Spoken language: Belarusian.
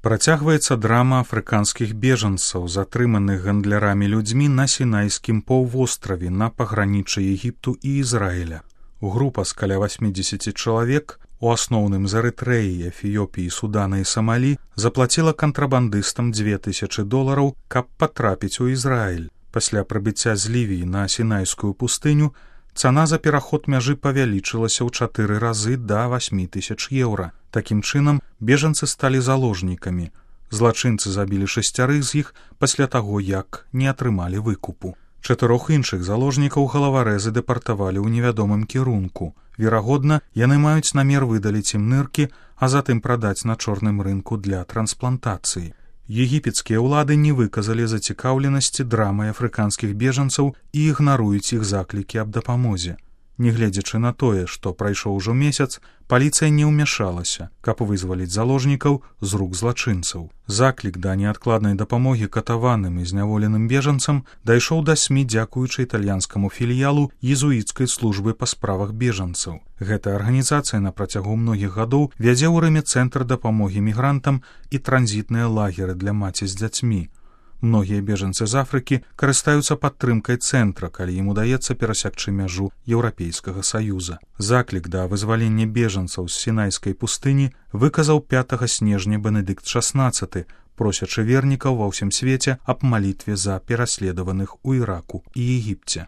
Працягваецца драма афрыканскіх бежанцаў, затрыманых гандлярамі людзьмі на Сінайскім паўвостраве на паграніччы Егіпту і Ізраіля. Група з каля 80 чалавек, у асноўным з Эрытрэі, Эфіёпіі, Судана і Самалі, заплаціла кантрабандыстам $2000, каб патрапіць у Ізраіль. Пасля прыбыцця з Лівіі на Сінайскую пустыню цана за пераход мяжы павялічылася ў 4 разы да €8000. Такім чынам, бежанцы сталі заложнікамі. Злачынцы забілі 6 з іх пасля таго, як не атрымалі выкупу. 4 іншых заложнікаў галаварэзы дэпартавалі ў невядомым кірунку. Верагодна, яны маюць намер выдаліць ім ныркі, а затым прадаць на чорным рынку для трансплантацыі. Егіпецкія ўлады не выказалі зацікаўленасці драмай афрыканскіх бежанцаў і ігнаруюць іх заклікі аб дапамозе. Нягледзячы на тое, што прайшоў ужо месяц, паліцыя не ўмяшалася, каб вызваліць заложнікаў з рук злачынцаў. Заклік да неадкладнай дапамогі катаваным і зняволеным бежанцам дайшоў да СМІ дзякуючы італьянскаму філіялу езуіцкай службы па справах бежанцаў. Гэтая арганізацыя на працягу многіх гадоў вядзе ў Рыме цэнтр дапамогі мігрантам і транзітныя лагеры для маці з дзяцьмі. Многія бежанцы з Афрыкі карыстаюцца падтрымкай цэнтра, калі ім удаецца перасякчы мяжу Еўрапейскага Саюза. Заклік да вызвалення бежанцаў з Сінайскай пустыні выказаў 5 снежня Бенедыкт XVI, просячы вернікаў ва ўсім свеце аб малітве за пераследаваных у Іраку і Егіпце.